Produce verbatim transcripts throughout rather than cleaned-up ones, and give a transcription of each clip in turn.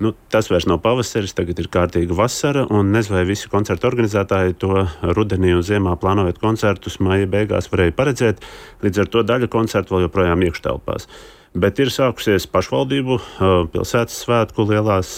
Nu, tas vairs nav pavasaris, tagad ir kārtīga vasara, un nezinu, vai visi koncertu organizētāji to rudenī un ziemā plānojot koncertus maija beigās varēja paredzēt, līdz ar to daļa koncertu vēl joprojām iekštelpās. Bet ir sākusies pašvaldību, pilsētas svētku lielās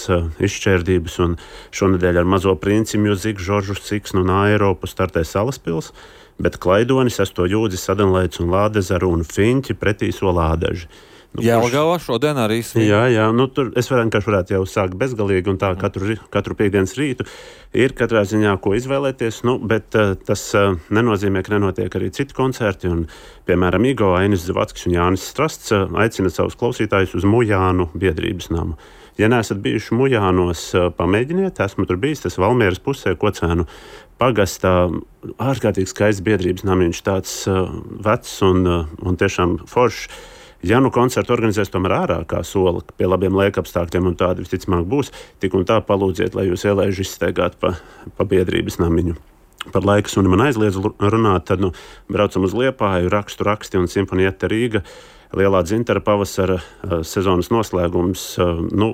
izšķērdības, un šonedēļ ar Mazo princi, Music, Žoržu Ciksnu un Eiropu startē Salaspils, bet Klaidoni, Sesto jūdzi, Sadenleids un Lādezaru un Fiņķi pretī Solādaži. Nu, Jelgavā šodien arī svin. Jā, jā, nu tur es vienkārši varētu jau sākt bezgalīgi un tā katru, katru piekdienas rītu ir katrā ziņā ko izvēlēties, nu, bet uh, tas uh, nenozīmē, ka nenotiek arī citi koncerti, un, piemēram, Igo, Ainis Zavackis un Jānis Strasts uh, aicina savus klausītājus uz Mujānu biedrības namu. Ja neesat bijuši Mujānos, uh, pamēģiniet, esmu tur bijis, tas Valmieras pusē, Kocēnu pagastā, ārkārtīgi skaists biedrības namiņš, tāds uh, vecs un, uh, un tiešām foršs. Ja nu koncertu organizēs tomēr ārā kā sola, pie labiem laikapstākļiem, un tādi visticamāk būs, tik un tā palūdziet, lai jūs ielaiži izsteigāt pa, pa biedrības namiņu. Par laika suni man aizliedz runāt, tad nu, braucam uz Liepāju, rakstu raksti un Simfonieta Rīga, lielā dzintara pavasara uh, sezonas noslēgums, uh, nu,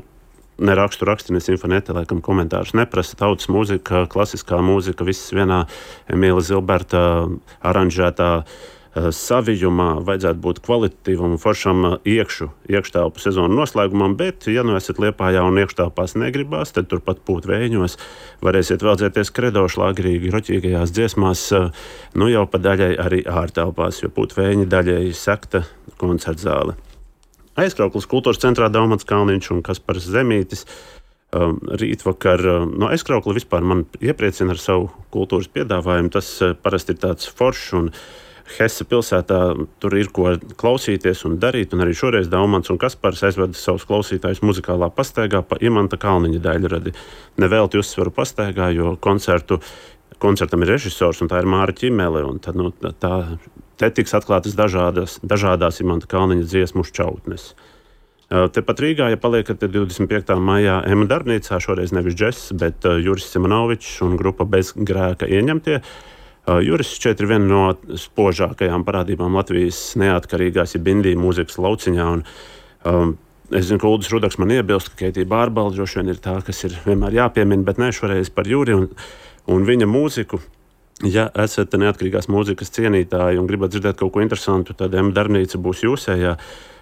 ne rakstu raksti, ne Simfonieta, laikam komentārus neprasa, tautas mūzika, klasiskā mūzika, viss vienā Emīla Zilberta aranžētā savijumā, vajadzētu būt kvalitatīvam un foršam iekšu, iekštelpu sezonu noslēgumam, bet, ja nu esat Liepājā un iekštelpās negribās, tad turpat pūt vējiņos, varēsiet veldzēties kredo šlāgrīgi, roķīgajās dziesmās, nu jau pa daļai arī ārtelpās, jo pūt vējiņi daļai sekta koncertzāle. Aizkrauklis kultūras centrā Daumats Kalniņš un Kaspars Zemītis. Um, rītvakar, um, no aizkraukla vispār man iepriecina ar savu kultūras piedāvājumu, tas uh, parasti ir tāds foršs un Hesse pilsētā tur ir ko klausīties un darīt, un arī šoreiz Daumants un Kaspars aizveda savus klausītājus muzikālā pastaigā pa Imanta Kalniņa daļradi. Nevelti uzsvaru pastaigā, jo koncertu, koncertam ir režisors, un tā ir Māra Ķimele, un tad, nu, tā, te tiks atklātas dažādas, dažādās Imanta Kalniņa dziesmu šķautnes. Tepat Rīgā, ja paliekat divdesmit piektā maijā Ema darbnīcā, šoreiz nevis džess, bet Juris Simonovičs un grupa Bez grēka ieņemtie. Juris šķiet ir viena no spožākajām parādībām Latvijas neatkarīgās, ja bindī mūzikas lauciņā. Un, um, es zinu, ka Uldis Rudaks man iebilst, ka Keitija Bārbalda droši vien ir tā, kas ir vienmēr jāpiemina, bet ne šoreiz par Juri un, un viņa mūziku. Ja esat neatkarīgās mūzikas cienītāji un gribat dzirdēt kaut ko interesantu, tad Ema darbnīca būs jūsējā.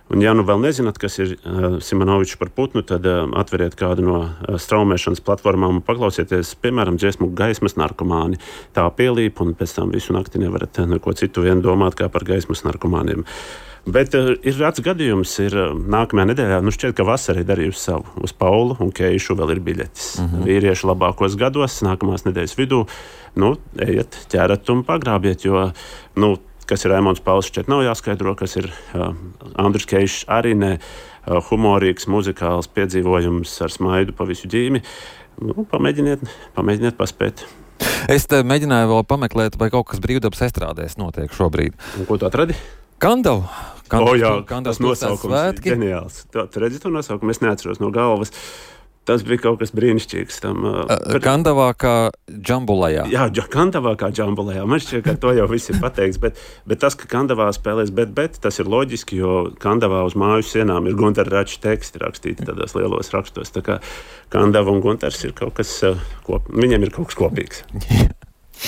Un, ja nu vēl nezināt, kas ir uh, Simonovičs par putnu, tad uh, atveriet kādu no uh, straumēšanas platformām un paklausieties, piemēram, dziesmu Gaismas narkomāni. Tā pielīp, un pēc tam visu nakti nevarat neko citu vien domāt kā par gaismas narkomāniem. Bet uh, ir rāds gadījums, ir uh, nākamajā nedēļā, nu šķiet, ka vasara ir darījusi savu. Uz Paulu un Keišu vēl ir biļetes. Mm-hmm. Vīriešu labākos gados, nākamās nedēļas vidū, nu, ejiet, ķerat un pagrābiet, jo, nu, kas ir Raimons Pauls, šķiet nav jāskaidro, kas ir uh, Andris Keišs, arī ne uh, humorīgs, muzikāls piedzīvojums ar smaidu pa visu ģīmi. Nu, pamēģiniet, pamēģiniet paspēt. Es te mēģināju vēl pameklēt, vai kaut kas brīvdabas estrādēs notiek šobrīd. Un ko tu atradi? Kandavu. Kandavas, o jā, Kandavas tas nosaukums ir ģeniāls. Tu, tu redzi to nosaukumu? Es neatceros no galvas. Tas bija kaut kas brīnišķīgs. Tam, uh, Kandavā kā džambulajā. Jā, Kandavā kā džambulajā. Man šķiet, ka to jau viss ir pateikts, bet, bet tas, ka Kandavā spēlēs bet, bet, tas ir loģiski, jo Kandavā uz māju sienām ir Guntara Rača teksti rakstīti tādos lielos rakstos. Tā kā Kandava un Guntars ir kaut kas, ko, viņiem ir kaut kas kopīgs.